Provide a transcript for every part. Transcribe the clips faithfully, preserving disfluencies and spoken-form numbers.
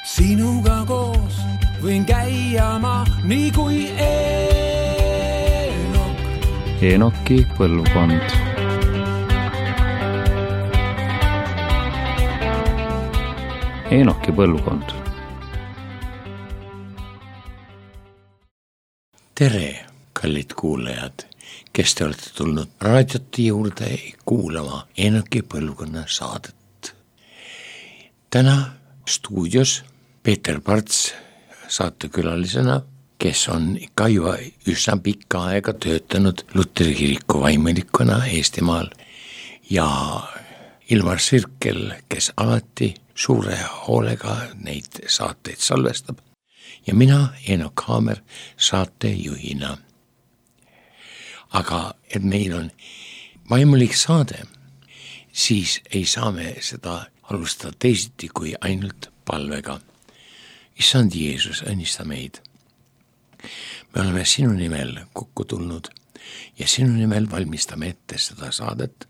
Sinuga koos võin käia ma nii kui Eenok. Eenoki põlvkond. Eenoki põlvkond. Tere, kallid kuulajad, kes te olete tulnud raadioti juurde kuulama Eenoki põlvkonna saadet. Täna stuudios Peeter Parts saatekülalisena, kes on ikka juba üsna pikka aega töötanud Luteri kiriku vaimulikuna Eestimaal, ja Ilmar Sirkel, kes alati suure hoolega neid saateid salvestab, ja mina, Eenok Haamer, saatejuhina. Aga et meil on vaimulik saade, siis ei saa me seda alustada teisiti kui ainult palvega. Issand Jeesus, õnnista meid. Me oleme sinu nimel kokku tulnud ja sinu nimel valmistame ette seda saadet,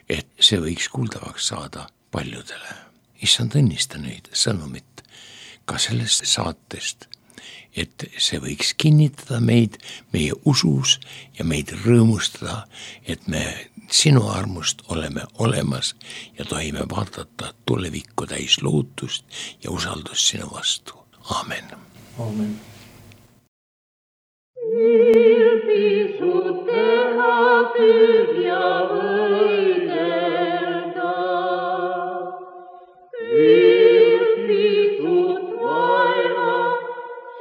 et see võiks kuuldavaks saada paljudele. Issand, õnnista nüüd sõnumit ka sellest saatest, et see võiks kinnitada meid meie usus ja meid rõõmustada, et me sinu armust oleme olemas ja tohime vaadata tulevikku täis lootust ja usaldust sinu vastu. Aamen. Aamen. Ilpisut teha tühja võidelda, ilpisut vaeva,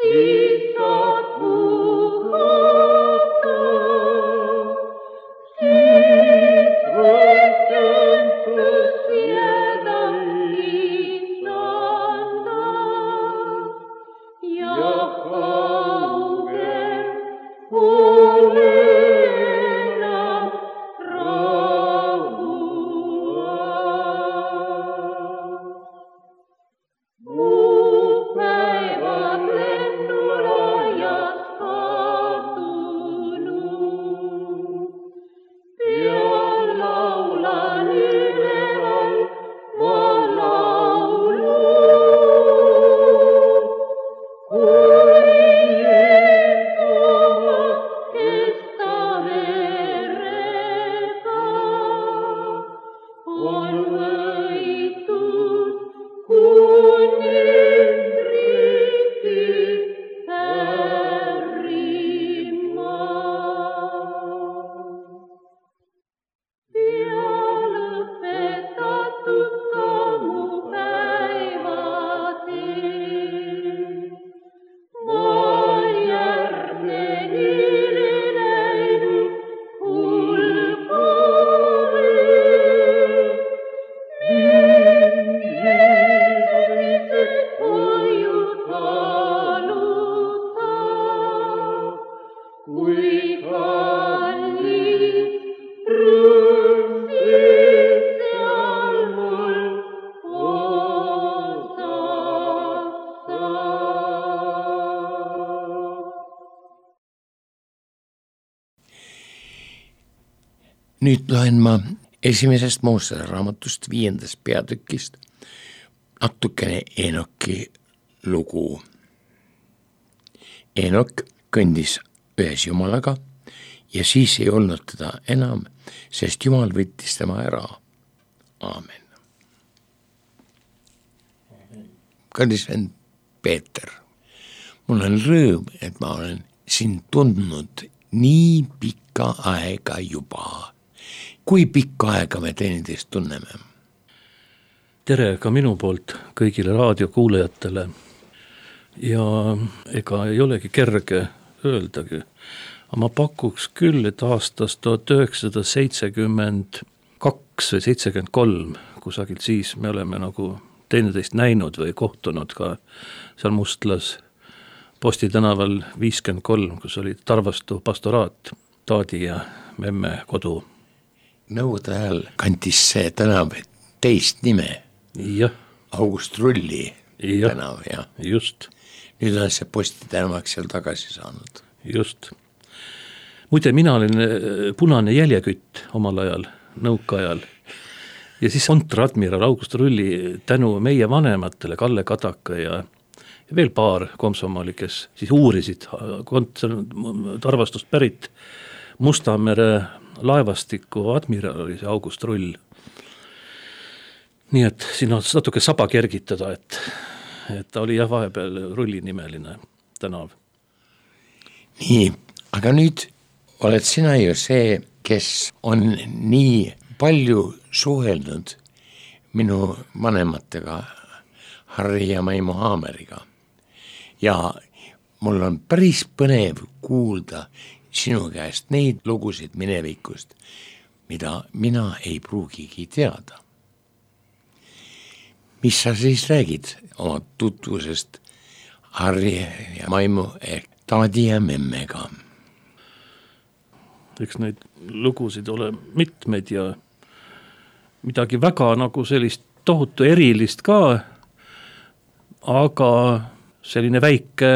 siis saab puhata, siis võitsentus jääda lihtsanda ja kaugel pole enam rahua. Muud päevad lennulajast kadunud, pean laulan üleval ma laulu, kuni Jeesuma kesta verega on võitud kuningriigi äärimaa. Pea lõpetatud ka mu päevatee, ma järgneni läinud hulgale. Mind Jeesuse koju taluta, kui kallis rõõm siis seal mul osaks saab. Nüüd loen ma esimesest Moosese raamatust viiendast peatükist natukene Eenoki lugu. Eenok kõndis ühes Jumalaga ja siis ei olnud teda enam, sest Jumal võttis tema ära. Aamen. Kallis vend Peeter, mul on rõõm, et ma olen sind tundnud nii pikka aega juba. Kui pikka aega me teineteist tunneme? Tere ka minu poolt kõigile raadiokuulajatele. Ja ega ei olegi kerge öeldagi. Aga ma pakuks küll, et aastast tuhat üheksasada seitsekümmend kaks või seitsekümmend kolm, kusagilt siis me oleme nagu teineteist näinud või kohtunud ka seal Mustlas Posti tänaval viiskümmend kolm, kus oli Tarvastu pastoraat, Taadi ja Memme kodu. Nõukogude ajal kantis see tänav teist nime. Jah. August Rulli ja. tänav, jah. Just. Nüüd on see Posti tänavaks seal tagasi saanud. Just. Muide, mina olin punane jäljekütt omal ajal, nõukaajal. ja siis kontradmiral August Rulli tänu meie vanematele, Kalle Kadaka ja, ja veel paar komsomoli, kes siis uurisid kont-, Tarvastust pärit Mustamere laevastiku admiral oli see August Rull. Nii et siin on natuke saba kergitada, et, et ta oli jah vahepeal Rulli nimeline tänav. Nii, aga nüüd oled sina ju see, kes on nii palju suhelnud minu vanematega, Harri ja Maimu Haameriga. Ja mul on päris põnev kuulda sinu käest neid lugusid minevikust, mida mina ei pruugigi teada. Mis sa siis räägid oma tutvusest Harri ja Maimu ehk taadi ja memmega? Eks neid lugusid ole mitmeid ja midagi väga nagu sellist tohutu erilist ka, aga selline väike,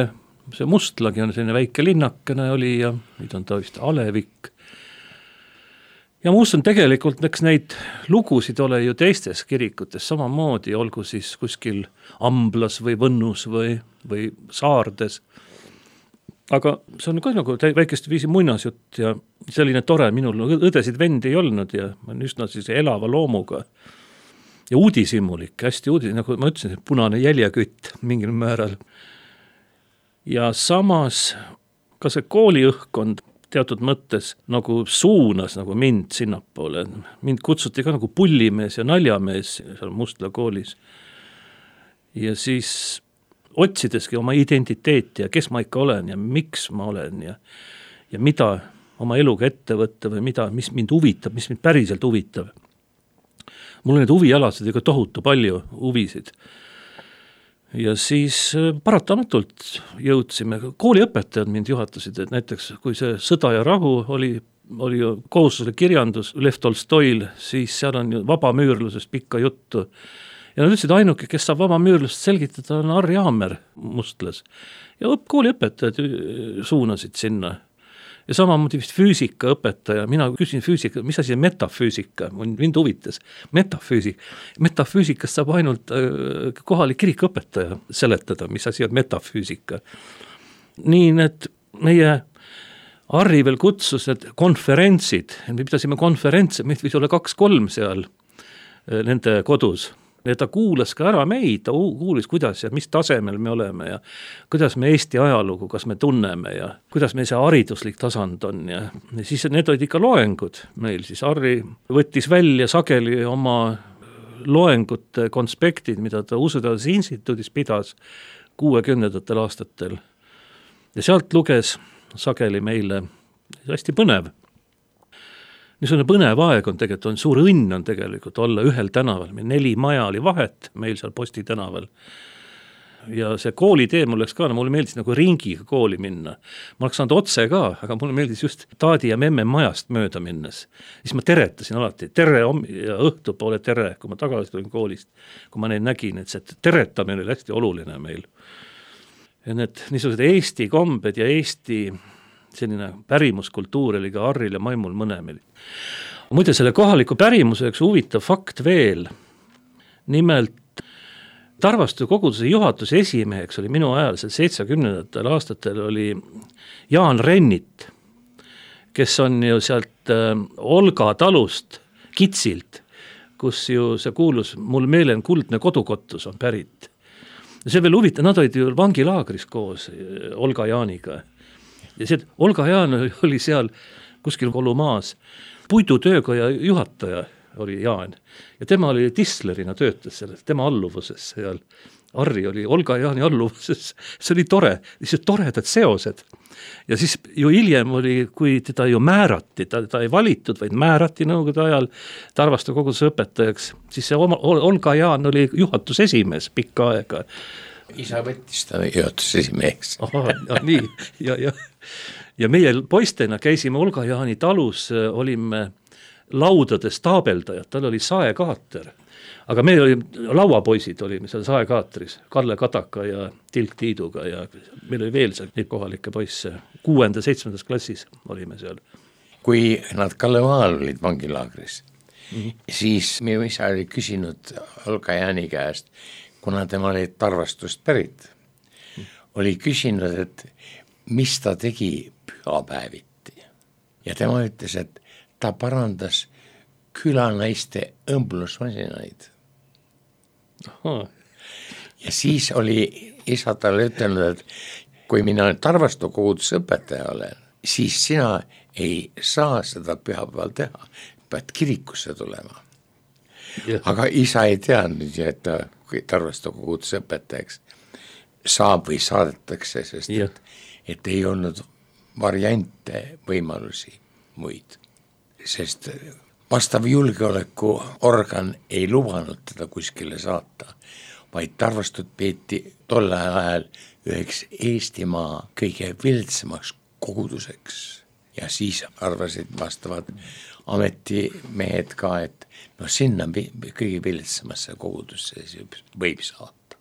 see Mustlagi on selline väike linnakene oli ja nüüd on ta vist Alevik. Ja muust on tegelikult, eks neid lugusid ole ju teistes kirikutes samamoodi, olgu siis kuskil Amblas või Võnnus või, või Saardes. Aga see on ka nagu väikest viisi muinasjutt ja selline tore, minul õdesid vendi ei olnud ja ma olen üsna siis elava loomuga. Ja uudishimulik, hästi uudis, nagu ma ütlesin, punane jäljakütt mingil määral. Ja samas ka see kooliõhkkond teatud mõttes nagu suunas nagu mind sinnapoole. Mind kutsuti ka nagu pullimees ja naljamees seal Mustla koolis. Ja siis otsideski oma identiteeti ja kes ma ikka olen ja miks ma olen ja, ja mida oma eluga ette võtta või mida, mis mind huvitab, mis mind päriselt huvitab. Mul on need huvialasid ega tohutu palju huvisid. Ja siis paratamatult jõudsime, kooliõpetajad mind juhatasid, et näiteks kui see Sõda ja rahu oli, oli ju kohustuslik kirjandus Lev Tolstoil, siis seal on ju vabamüürlusest pikka juttu. Ja nad ütlesid, ainuke, kes saab vabamüürlust selgitada, on Harri Haamer Mustlas. Ja kooliõpetajad suunasid sinna. Ja samamoodi vist füüsikaõpetaja, mina küsin füüsika, mis asi on metafüüsika, mind huvitas, metafüüsik. Metafüüsikast saab ainult kohalik kirikuõpetaja seletada, mis asi on metafüüsika. Nii, et meie Harri veel kutsus, et konverentsid, me pidasime konverentse, meid võis olla kaks-kolm seal nende kodus. Ja ta kuulas ka ära meid, ta kuulis, kuidas ja mis tasemel me oleme ja kuidas me Eesti ajalugu, kas me tunneme ja kuidas meil see hariduslik tasand on. Ja, ja siis need olid ikka loengud meil, siis Harri võttis välja sageli oma loengute konspektid, mida ta Usuteaduse instituudis pidas kuuekümnendatel aastatel. Ja sealt luges sageli meile hästi põnev. Niisugune põnev aeg on tegelikult, on suur õnn on tegelikult olla ühel tänaval, meil neli maja oli vahet meil seal Posti tänaval. Ja see koolitee mul läks ka, no mulle meeldis nagu ringiga kooli minna. Ma oleks saanud otse ka, aga mulle meeldis just taadi ja memme majast mööda minnes. Siis ma teretasin alati, tere ja õhtupoole tere, kui ma tagasi tulin koolist, kui ma neid nägin, et see teretamine oli hästi oluline meil. Ja need niisugused Eesti kombed ja Eesti selline pärimuskultuur oli ka Harril ja Maimul mõnemil. Muide, selle kohaliku pärimuse üks huvitav fakt veel. Nimelt Tarvastu koguduse juhatuse esimeheks oli minu ajal, seitsmekümnendatel aastatel oli Jaan Rennit, kes on ju sealt Olga talust Kitsilt, kus ju see kuulus Mul meelen kuldne kodukottus on pärit. Ja see veel huvitav, nad olid ju vangilaagris koos Olga Jaaniga. Ja see Olga Jaan oli seal kuskil Kolumaas, puidutöökoja juhataja oli Jaan ja tema oli Tislerina töötas seal, tema alluvuses seal. Harri oli Olga Jaani alluvuses, see oli tore, lihtsalt toredad seosed. Ja siis ju hiljem oli, kui teda ju määrati, ta, ta ei valitud, vaid määrati nõukogude ajal Tarvastu koguduse õpetajaks, siis see Olga Jaan oli juhatuse esimees pikka aega. Isa võttis ta juhatuse esimeheks. Aha, ja nii, ja, ja. Ja meie poistena käisime Olga Jaani talus, olime laudades taabeldajad, tal oli saekaater. Aga me olime, lauapoisid olime seal saekaatris, Kalle Kadaka ja Tilk Tiiduga ja meil oli veel seal neid kohalikke poisse. Kuuenda, seitsmendas klassis olime seal. Kui nad Kalevaal olid vangilaagris, mm. siis minu isa oli küsinud Olga Jaani käest, kuna tema oli Tarvastust pärit, mm. oli küsinud, et mis ta tegi pühapäeviti. Ja tema ütles, et ta parandas külanaiste õmblusmasinaid. Aha. Ja siis oli isa talle ütelnud, et kui mina Tarvastu koguduse õpetaja olen, siis sina ei saa seda pühapäeval teha, pead kirikusse tulema. Ja. Aga isa ei teadnud, et ta, kui Tarvastu koguduse õpetajaks saab või saadetakse, sest et, et ei olnud variante võimalusi muid, sest vastav julgeolekuorgan ei lubanud teda kuskile saata, vaid Tarvastut peeti tolle ajal üheks Eestimaa kõige viltsemaks koguduseks ja siis arvasid vastavad ametimehed ka, et no sinna kõige viltsemasse kogudusse võib saata.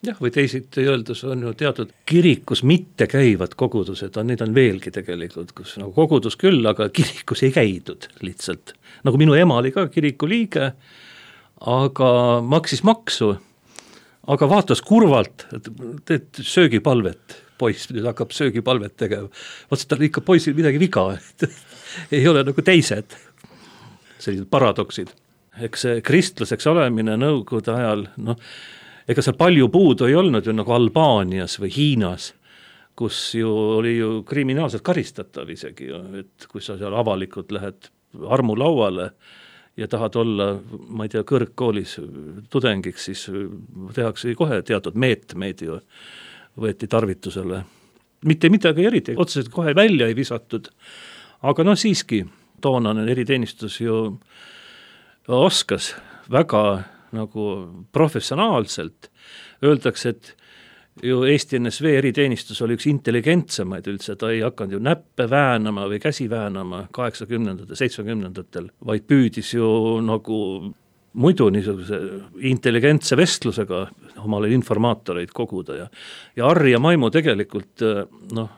Jah, või teisiti öeldes on ju teatud kirikus mitte käivad kogudused, neid on veelgi tegelikult, kus nagu kogudus küll, aga kirikus ei käidud lihtsalt. Nagu minu ema oli ka kiriku liige, aga maksis maksu, aga vaatas kurvalt, et teed söögipalvet, poiss nüüd hakkab söögipalvet tegema. Vaatsid, tal ikka poisil midagi viga, ei ole nagu teised sellised paradoksid. Eks see kristlaseks olemine nõukogude ajal, noh, ega seal palju puudu ei olnud ju nagu Albaanias või Hiinas, kus ju oli ju kriminaalselt karistatav isegi, et kui sa seal avalikult lähed armulauale ja tahad olla, ma ei tea, kõrgkoolis tudengiks, siis tehakse kohe teatud meetmeid ju, võeti tarvitusele. Mitte midagi eriti, otseselt kohe välja ei visatud, aga no siiski toonane eriteenistus ju oskas väga nagu professionaalselt. Öeldakse, et ju Eesti N S V eriteenistus oli üks intelligentsemaid üldse, ta ei hakanud ju näppe väänama või käsi väänama kaheksakümnendatel, seitsmekümnendatel, vaid püüdis ju nagu muidu niisuguse intelligentse vestlusega omale informaatoreid koguda ja, ja Harri ja Maimu tegelikult, noh,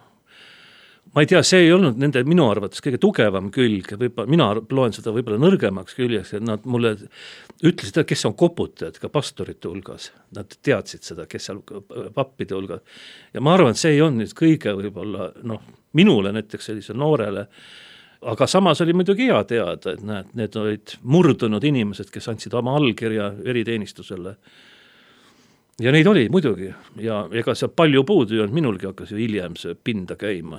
ma ei tea, see ei olnud nende minu arvates kõige tugevam külg, võib-olla, mina loen seda võib-olla nõrgemaks küljeks, et nad mulle ütlesid, kes on koputajad ka pastorite hulgas, nad teadsid seda, kes seal pappide hulgas, ja ma arvan, et see ei olnud nüüd kõige võib-olla, noh, minule näiteks sellise noorele, aga samas oli muidugi hea teada, et näed, need olid murdunud inimesed, kes andsid oma allkirja eriteenistusele. Ja neid oli muidugi, ja ega see palju puudu ei olnud, minulgi hakkas ju hiljem see pinda käima.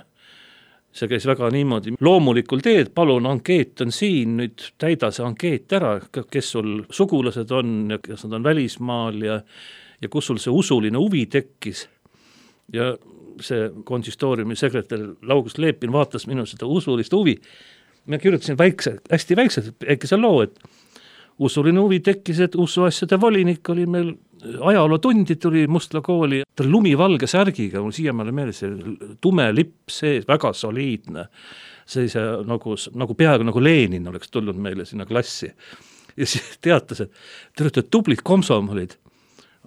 See käis väga niimoodi loomulikul teed, palun, ankeet on siin, nüüd täida see ankeet ära, kes sul sugulased on ja kes nad on välismaal ja, ja kus sul see usuline huvi tekkis. Ja see konsistooriumi sekretär August Leepin vaatas minu seda usulist huvi. Ma kirjutasin väikse, hästi väikselt, äkki see loo, et usuline huvi tekkis, et usuasjade volinik oli meil ajalootundi tuli Mustla kooli, ta lumivalge särgiga, mul siiamaale meeles see tume lipp sees, väga soliidne, sellise nagu, nagu peaaegu nagu Lenin oleks tulnud meile sinna klassi. Ja siis teatas, et te olete tublid komsomolid,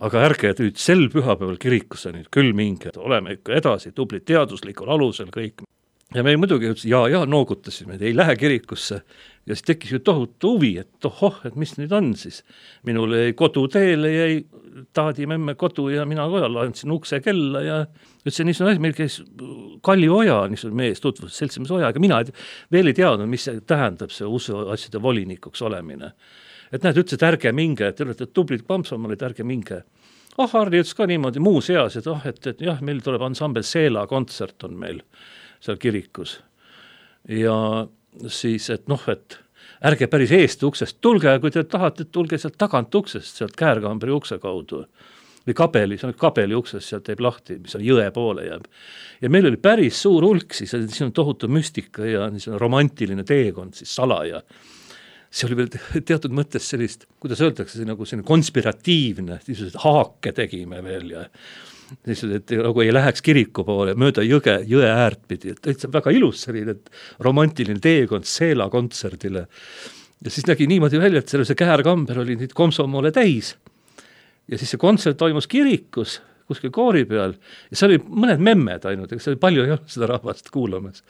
aga ärge nüüd sel pühapäeval kirikusse nüüd küll minge, oleme ikka edasi tublid teaduslikul alusel kõik. Ja me muidugi ütles, ja, ja noogutasime, et ei lähe kirikusse. Ja siis tekkis ju tohutu huvi, et tohoh, et mis nüüd on siis. Minul jäi koduteele, jäi taadimemme kodu ja mina kojal andsin ukse kella ja ütlesin, niisugune asi, meil käis Kalli Oja, niisugune mees tutvus, seltsimees Oja, aga mina veel ei teadnud, mis see tähendab see usu asjade volinikuks olemine. Et näed, ütles, et ärge minge, et te olete tublid pampsomalid, ärge minge. Ah, Harri ütles ka niimoodi muu seas, et, oh, et, et jah, meil tuleb ansambel Seela kontsert on meil seal kirikus. Ja siis, et noh, et ärge päris eest uksest tulge, kui te tahate, tulge sealt tagant uksest, sealt Käärkambri ukse kaudu. Või kabeli, see on kabeli uksest, sealt teeb lahti, mis on jõe poole jääb. Ja meil oli päris suur hulk, siis see on tohutu müstika ja romantiline teekond, siis salaja. See oli veel teatud mõttes sellist, kuidas öeldakse, see nagu selline konspiratiivne, haake tegime veel ja et nagu ei läheks kiriku poole mööda jõge, jõe äärt pidi, et see on väga ilus selline romantiline teekond Seela kontserdile ja siis nägi niimoodi välja, et selle see Käärkamber oli nüüd komsomoole täis ja siis see kontsert toimus kirikus kuskil koori peal ja see oli mõned memmed ainult, ega see oli palju ei olnud seda rahvast kuulamas,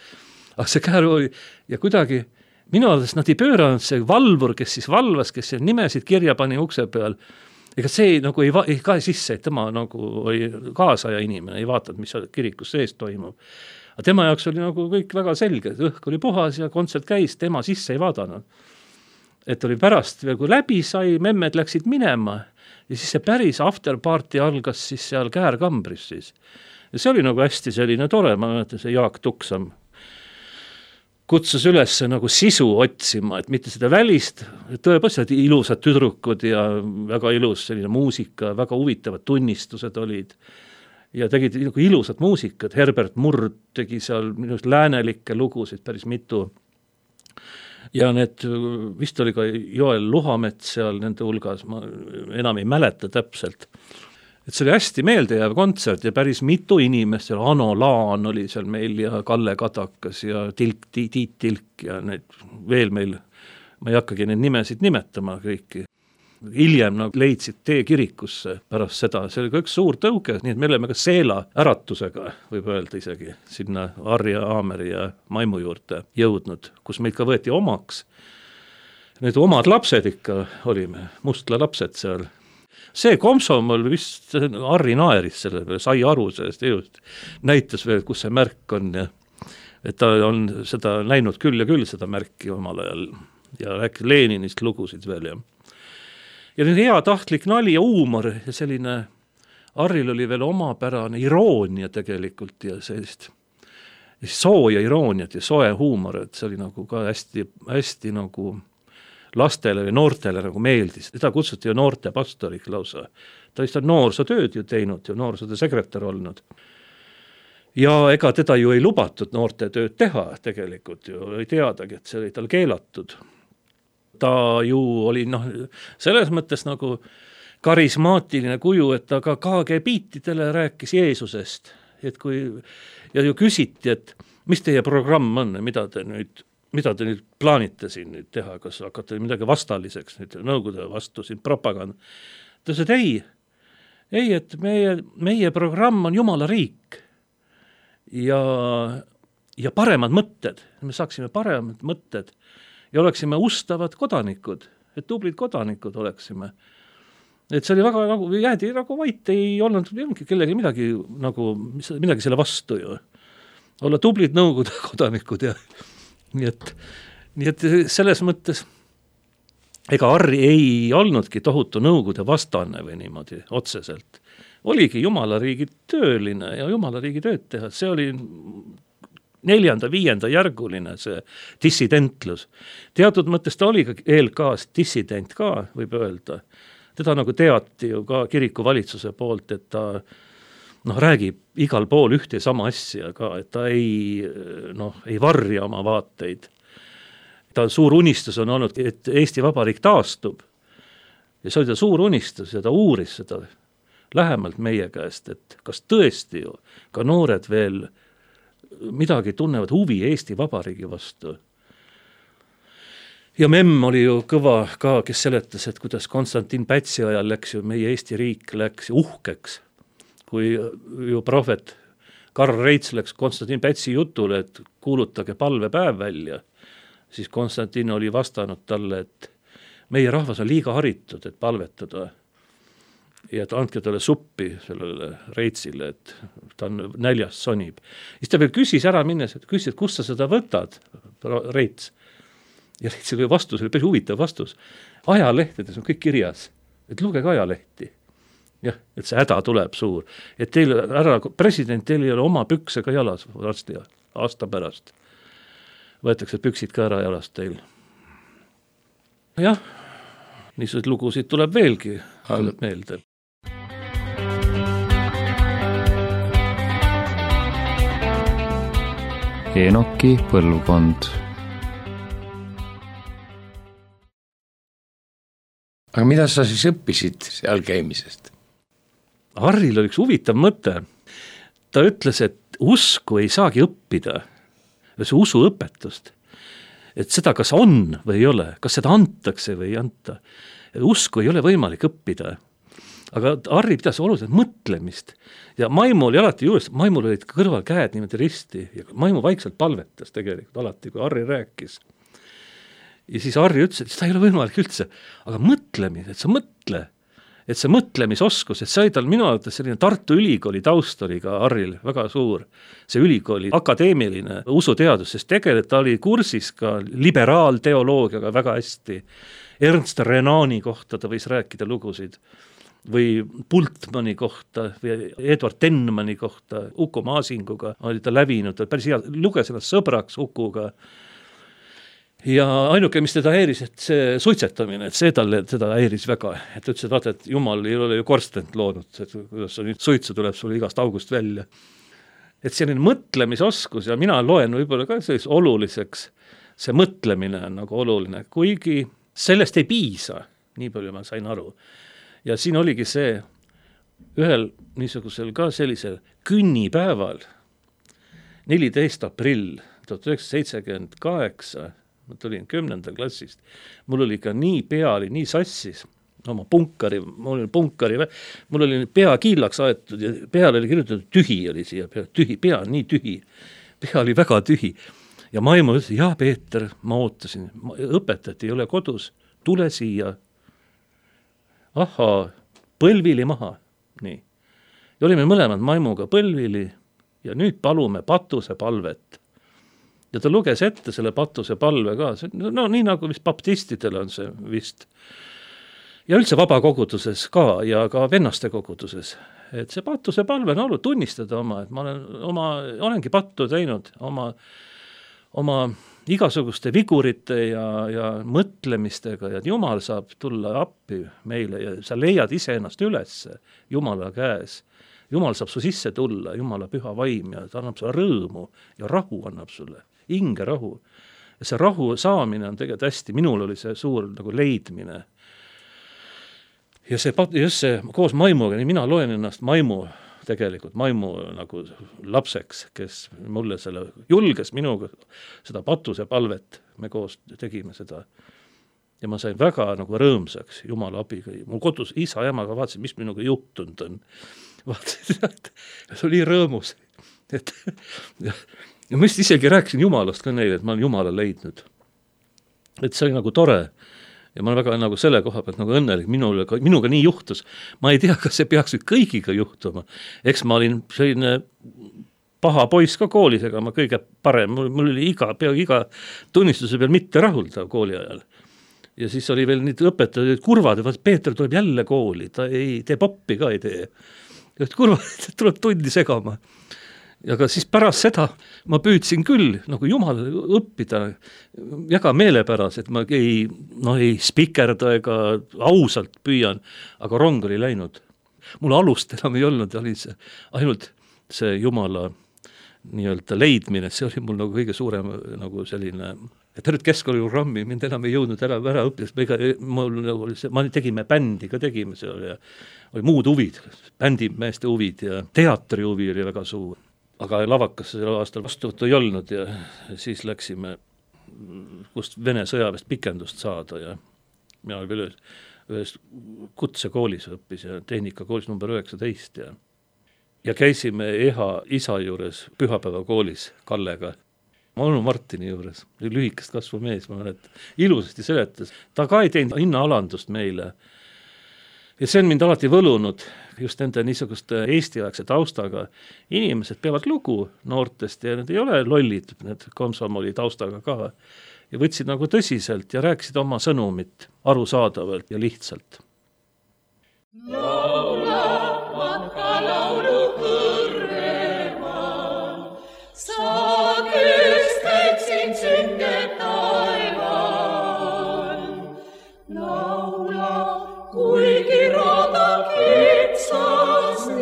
aga see Käär oli ja kuidagi minu arvates nad ei pööranud see valvur, kes siis valvas, kes nimesid kirja pani ukse peal, ega see nagu ei, va- ei kae sisse, et tema nagu oli kaasaja inimene, ei vaatanud, mis kirikus sees toimub. Aga tema jaoks oli nagu kõik väga selge, õhk oli puhas ja kontsert käis, tema sisse ei vaadanud. Et oli pärast, kui läbi sai, memmed läksid minema ja siis see päris afterparty algas siis seal Käärkambris siis. Ja see oli nagu hästi selline tore, ma mäletan, see Jaak Tuksam kutsus üles nagu sisu otsima, et mitte seda välist, tõepoolest ilusad tüdrukud ja väga ilus selline muusika, väga huvitavad tunnistused olid ja tegid nagu ilusad muusikat, Herbert Murd tegi seal minust läänelikke lugusid päris mitu ja need, vist oli ka Joel Luhamets seal nende hulgas, ma enam ei mäleta täpselt. Et see oli hästi meeldejääv kontsert ja päris mitu inimest, seal Ano Laan oli seal meil ja Kalle Kadakas ja Tilk, Tiit Tilk ja need veel meil, ma ei hakkagi neid nimesid nimetama kõiki. Hiljem nagu leidsid tee kirikusse pärast seda, see oli ka üks suur tõuge, nii et me oleme ka Seela äratusega, võib öelda isegi, sinna Arja, Aameri ja Maimu juurde jõudnud, kus meid ka võeti omaks. Need omad lapsed ikka olime, Mustla lapsed seal. See komsomol vist Harri naeris selle peale, sai aru sellest just, näitas veel, kus see märk on ja et ta on seda näinud küll ja küll seda märki omal ajal ja rääkis Leninist lugusid veel ja ja nüüd hea tahtlik nali ja huumor ja selline Harril oli veel omapärane iroonia tegelikult ja sellist sooja irooniat ja soe huumor, et see oli nagu ka hästi, hästi nagu lastele või noortele nagu meeldis. Teda kutsuti ju noorte pastorik lausa. Ta vist on noorsootööd ju teinud ja noorsootöö sekretär olnud. Ja ega teda ju ei lubatud noorte tööd teha tegelikult ju, ei teadagi, et see oli tal keelatud. Ta ju oli noh, selles mõttes nagu karismaatiline kuju, et ta ka K G B-tidele rääkis Jeesusest. Et kui, ja ju küsiti, et mis teie programm on, mida te nüüd mida te nüüd plaanite siin nüüd teha, kas hakkate midagi vastaliseks, nüüd nõukogude vastu siin propaganda. Ta ütles, et ei, ei, et meie, meie programm on Jumala riik ja, ja paremad mõtted, me saaksime paremad mõtted ja oleksime ustavad kodanikud, et tublid kodanikud oleksime. Et see oli väga, nagu, jäädi nagu vait, ei olnud kellegi midagi, nagu, midagi selle vastu ju. Olla tublid nõukogude kodanikud ja Nii et, nii et selles mõttes ega Harri ei olnudki tohutu nõukogude vastane või niimoodi otseselt. Oligi Jumala riigi tööline ja Jumala riigi tööd teha. See oli neljanda, viienda järguline see dissidentlus. Teatud mõttes ta oli ka E L K-s dissident ka, võib öelda. Teda nagu teati ju ka kiriku valitsuse poolt, et ta noh, räägib igal pool ühte sama asja ka, et ta ei, noh, ei varja oma vaateid. Ta suur unistus on olnud, et Eesti Vabariik taastub. Ja see oli ta suur unistus ja ta uuris seda lähemalt meie käest, et kas tõesti ju ka noored veel midagi tunnevad huvi Eesti Vabariigi vastu. Ja Memm oli ju kõva ka, kes seletas, et kuidas Konstantin Pätsi ajal läks ju meie Eesti riik läks uhkeks. Kui ju prohvet Karl Reits läks Konstantin Pätsi jutule, et kuulutage palvepäev välja, siis Konstantin oli vastanud talle, et meie rahvas on liiga haritud, et palvetada ja et andke talle suppi sellele Reitsile, et ta on näljast sonib. Siis ta veel küsis ära minnes, et küsis, et kust sa seda võtad, Reits. Ja Reitsil oli vastus, oli päris huvitav vastus. Ajalehtedes on kõik kirjas, et lugege ajalehti. Jah, et see häda tuleb suur. Et teil, ära, president, teil ei ole oma püksega jalas varsti aasta pärast. Võetakse püksid ka ära jalast teil. Jah, niisugused lugusid tuleb veelgi tuleb meelde. Enoki põlvkond. Aga mida sa siis õppisid seal käimisest? Harril oli üks huvitav mõte. Ta ütles, et usku ei saagi õppida, see usuõpetust, et seda kas on või ei ole, kas seda antakse või ei anta. Usku ei ole võimalik õppida. Aga Harri pidas oluliselt mõtlemist ja Maimu oli alati juures, Maimul olid kõrval käed niimoodi risti ja Maimu vaikselt palvetas tegelikult alati, kui Harri rääkis. ja siis Harri ütles, et seda ei ole võimalik üldse, aga mõtlemine, et sa mõtle, et see mõtlemisoskus, et sai tal minu arvates selline Tartu Ülikooli taust oli ka Harril väga suur, see ülikooli akadeemiline usuteadus, sest tegelikult ta oli kursis ka liberaalteoloogiaga väga hästi, Ernst Renani kohta ta võis rääkida lugusid, või Bultmanni kohta või Edward Tenmani kohta, Uku Maasinguga oli ta lävinud, ta päris hea, luges ennast sõbraks Ukuga. Ja ainuke, mis teda häiris, et see suitsetamine, et see talle teda häiris väga, et ütles, et vaata, et Jumal ei ole ju korstent loonud, et kuidas nüüd suitsu tuleb sulle igast august välja. Et selline mõtlemisoskus ja mina loen võib-olla ka sellise oluliseks, see mõtlemine on nagu oluline, kuigi sellest ei piisa, nii palju ma sain aru. Ja siin oligi see ühel niisugusel ka sellisel künnipäeval, neliteist aprill tuhat üheksasada seitsekümmend kaheksa, ma tulin kümnendal klassist, mul oli ka nii pea, oli nii sassis, oma punkari, mul oli punkari, mul oli pea kiillaks aetud ja peale oli kirjutatud tühi oli siia, tühi, pea nii tühi, pea oli väga tühi. Ja Maimu ütles, jah Peeter, ma ootasin, õpetati ei ole kodus, tule siia. Ahaa, põlvili maha, nii. Ja olime mõlemad Maimuga põlvili ja nüüd palume patuse palvet. Ja ta luges ette selle patuse palve ka, no nii nagu vist baptistidel on see vist. Ja üldse vabakoguduses ka ja ka vennaste koguduses. Et see patuse palve on olnud tunnistada oma, et ma olen, oma, olengi pattu teinud oma, oma igasuguste vigurite ja, ja mõtlemistega ja Jumal saab tulla appi meile ja sa leiad ise ennast üles Jumala käes. Jumal saab su sisse tulla, Jumala püha vaim ja ta annab sulle rõõmu ja rahu annab sulle, hinge rahu. Ja see rahu saamine on tegelikult hästi, minul oli see suur nagu leidmine. Ja see, just see koos Maimuga, nii mina loen ennast Maimu tegelikult, Maimu nagu lapseks, kes mulle selle julges minuga seda patuse palvet, me koos tegime seda. Ja ma sain väga nagu rõõmsaks Jumala abiga. Mul kodus isa ja emaga vaatasin, mis minuga juhtunud on. Vaatasin, et see oli rõõmus. Et, ja, ja ma just isegi rääkisin Jumalast ka neile, et ma olen Jumala leidnud. Et see oli nagu tore. Ja ma olen väga nagu selle koha pealt nagu õnnelik, minule, minuga nii juhtus. Ma ei tea, kas see peaks nüüd kõigiga juhtuma. Eks ma olin selline paha poiss ka koolis, ega ma kõige parem, mul, mul oli iga, pea iga tunnistuse peal mitte rahuldav kooli ajal. Ja siis oli veel nüüd õpetajad kurvad, et Peeter tuleb jälle kooli, ta ei tee poppi ka ei tee. Ja kurvad tuleb tundi segama. Ja ka siis pärast seda ma püüdsin küll nagu Jumal õppida väga meelepäras, et ma ei, no ei spikerda ega ausalt püüan, aga rong oli läinud. Mul alust enam ei olnud, oli see, ainult see Jumala nii-öelda leidmine, see oli mul nagu kõige suurem nagu selline, et nüüd keskkooliprogrammi mind enam ei jõudnud ära, ära õppida, ega mul nagu oli see, ma tegime bändi ka tegime see oli, oli muud huvid, bändimeeste huvid ja teatri huvi oli väga suur. Aga lavakas selle aastal vastuvõttu ei olnud ja siis läksime, kust Vene sõjaväest pikendust saada ja mina oli veel ühes, ühes kutsekoolis õppis ja tehnikakoolis number üheksateist ja, ja käisime Eha isa juures pühapäeva koolis Kallega, Manu Martini juures, lühikest kasvu mees, ma mälet, ilusasti seletas, ta ka ei teinud hinnaalandust meile. Ja see on mind alati võlunud just nende niisuguste eestiaegse taustaga. Inimesed peavad lugu noortest ja need ei ole lollid, need komsomoli taustaga ka. Ja võtsid nagu tõsiselt ja rääkisid oma sõnumit arusaadavalt ja lihtsalt. Laula, matka laulu kõrvemal, sa kested siin sünge taeval. Laula, kuigi rada kitsasti,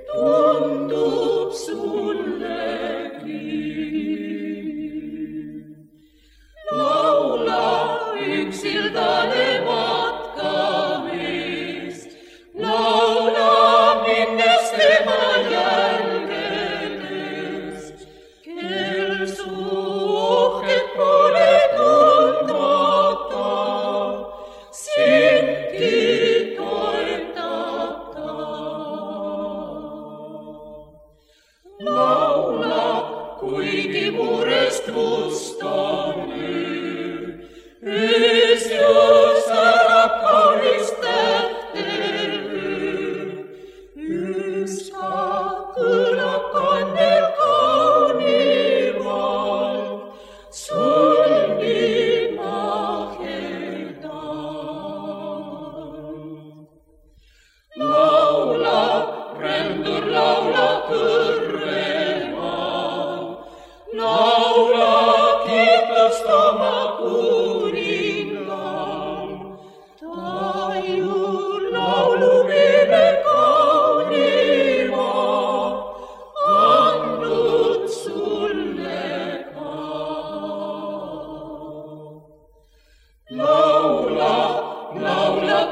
tundub sullegi. Laula, üksildane matka meil,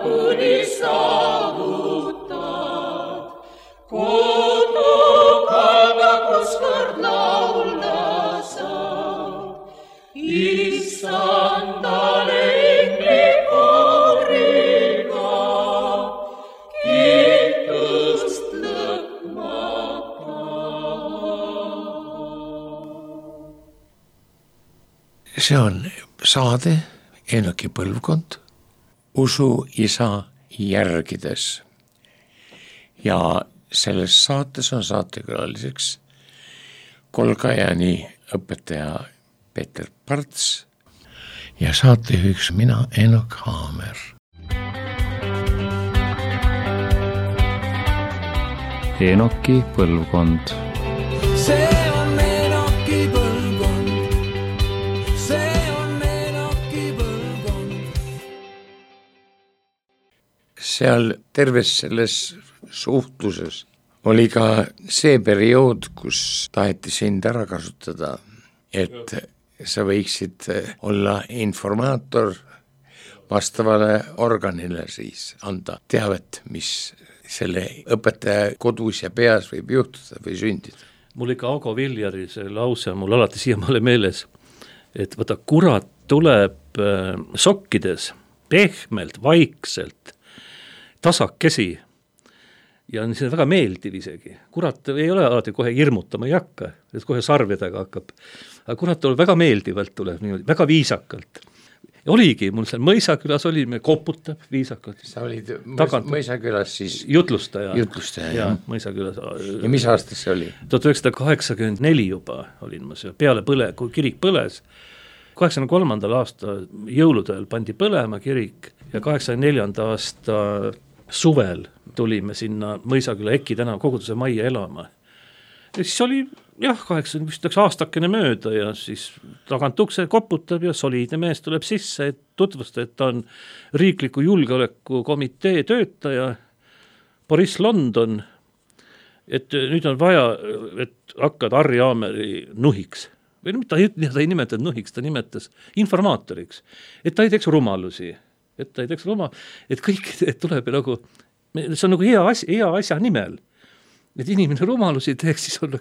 kuni saavutad. Kodu kalda, kus kord laulda saab. Issandale inglikoriga, kiitust lõpmata. See on saade Enoki põlvkond usu isa järgides. Ja selles saates on saatekülaliseks Kolgajani õpetaja Peeter Parts ja saatejuhiks mina, Enok Haamer. Enoki põlvkond. see on Enoki põlvkond, see on Enoki põlvkond. Seal terves selles suhtluses oli ka see periood, kus taheti sind ära kasutada, et sa võiksid olla informaator vastavale organile, siis anda teavet, mis selle õpetaja kodus ja peas võib juhtuda või sündida. Mul ikka Ago Viljari see lause on mul alati siiamaale meeles, et võta, kurat tuleb sokkides pehmelt, vaikselt, tasakesi ja on see väga meeldiv isegi. Kurat ei ole alati kohe hirmutama ei hakka, et kohe sarvedega hakkab. Aga kurat tuleb väga meeldivalt, tuleb niimoodi, väga viisakalt. Ja oligi, mul seal Mõisakülas olime, koputab viisakalt. Sa olid Tagant. Mõisakülas siis jutlustaja. jutlustaja, ja, jah. Mõisakülas. Ja mis aastas see oli? tuhat üheksasada kaheksakümmend neli juba olin ma seal, peale põle, kui kirik põles. kaheksakümne kolmandal aasta jõuludel pandi põlema kirik ja kaheksakümne neljanda aasta suvel tulime sinna Mõisaküla Eki tänav koguduse majja elama. Ja siis oli jah, kaheksakümmend vist üks aastakene mööda ja siis tagant ukse koputab ja soliidne mees tuleb sisse, et tutvusta, et ta on riikliku julgeolekukomitee töötaja Boris London, et nüüd on vaja, et hakkad Harri Aameri nuhiks. Või ta ei, ta ei nimetanud nuhiks, ta nimetas informaatoriks, et ta ei teeks rumalusi, et ta ei teeks rumal, et kõik et tuleb nagu, see on nagu hea asja, hea asja nimel, et inimene rumalusi teeks, siis on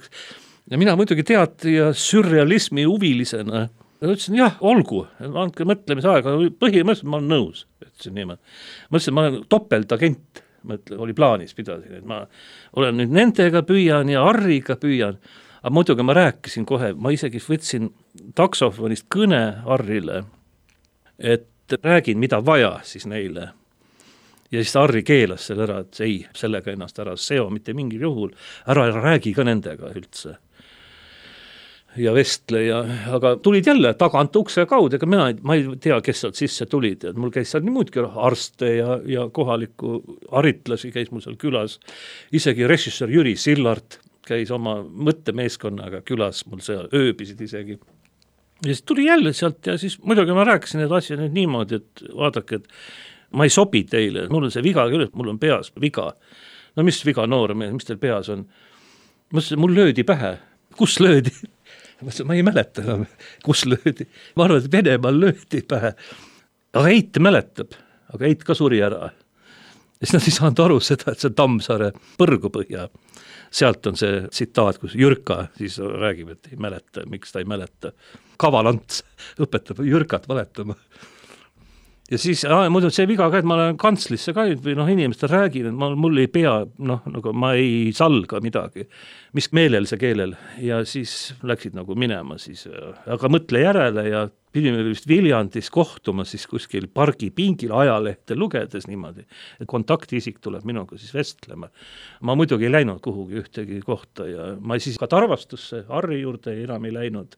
ja mina muidugi teatri ja sürrealismi huvilisena ja ütlesin, jah, olgu, andke mõtlemise aega, põhimõtteliselt ma olen nõus, ütlesin niimoodi. Ma ütlesin, ma olen topeltagent, mõtle, oli plaanis pidasin, et ma olen nüüd nendega püüan ja Harriga püüan, aga muidugi ma rääkisin kohe, ma isegi võtsin taksofonist kõne Harrile, et räägin, mida vaja siis neile. Ja siis Harri keelas selle ära, et ei, sellega ennast ära seo mitte mingil juhul, ära, ära räägi ka nendega üldse. Ja vestle ja, aga tulid jälle tagant ukse kaudu, ega mina, ma ei tea, kes sealt sisse tulid, et mul käis seal nii muudki arste ja, ja kohaliku haritlasi käis mul seal külas, isegi režissöör Jüri Sillart käis oma mõttemeeskonnaga külas, mul seal ööbisid isegi. Ja siis tuli jälle sealt ja siis muidugi ma rääkisin need asja nüüd niimoodi, et vaadake, et ma ei sobi teile, mul on see viga küll, mul on peas viga. No mis viga noor mees, mis teil peas on? Ma ütlesin, mul löödi pähe. Kus löödi? Ma ütlesin, ma ei mäleta enam, kus löödi. Ma arvan, et Venemaal löödi pähe. Aga Eit mäletab, aga Eit ka suri ära. Ja siis nad ei saanud aru seda, et see Tammsaare Põrgupõhja. Sealt on see tsitaat, kus Jürka siis räägib, et ei mäleta, miks ta ei mäleta. Kavalants õpetab Jürkat valetama. Ja siis aa, muidu see viga ka, et ma olen kantslisse ka või noh, inimestel räägin, et ma, mul ei pea, noh, nagu ma ei salga midagi, mis meelel see keelel ja siis läksid nagu minema siis, aga mõtle järele ja pidime vist Viljandis kohtuma siis kuskil pargi pingil ajalehte lugedes niimoodi, et kontaktisik tuleb minuga siis vestlema. Ma muidugi ei läinud kuhugi ühtegi kohta ja ma siis ka Tarvastusse Harri juurde enam ei läinud.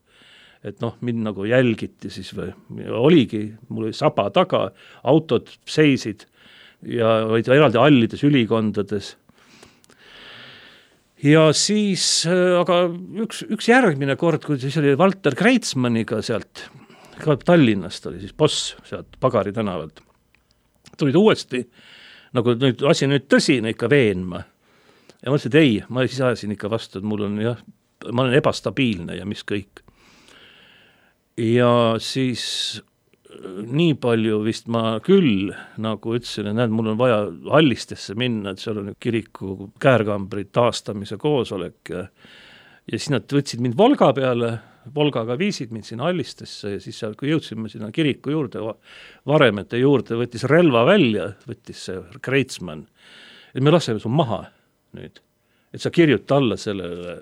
Et noh, mind nagu jälgiti siis või oligi, mul oli saba taga, autod seisid ja olid eraldi hallides ülikondades. Ja siis, aga üks, üks järgmine kord, kui siis oli Valter Kreitsmanniga sealt, ka Tallinnast oli siis boss sealt Pagari tänavalt, tulid uuesti, nagu nüüd asi nüüd tõsine ikka veenma. Ja ma ütlesin, et ei, ma siis ajasin ikka vastu, et mul on jah, ma olen ebastabiilne ja mis kõik. Ja siis nii palju vist ma küll nagu ütlesin, et näed, mul on vaja Allistesse minna, et seal on kiriku käärkambri taastamise koosolek ja, ja siis nad võtsid mind Volga peale, Volgaga viisid mind sinna Allistesse ja siis seal, kui jõudsime sinna kiriku juurde, varemete juurde, võttis relva välja, võttis see Kreitsmann, et me laseme su maha nüüd, et sa kirjuta alla sellele,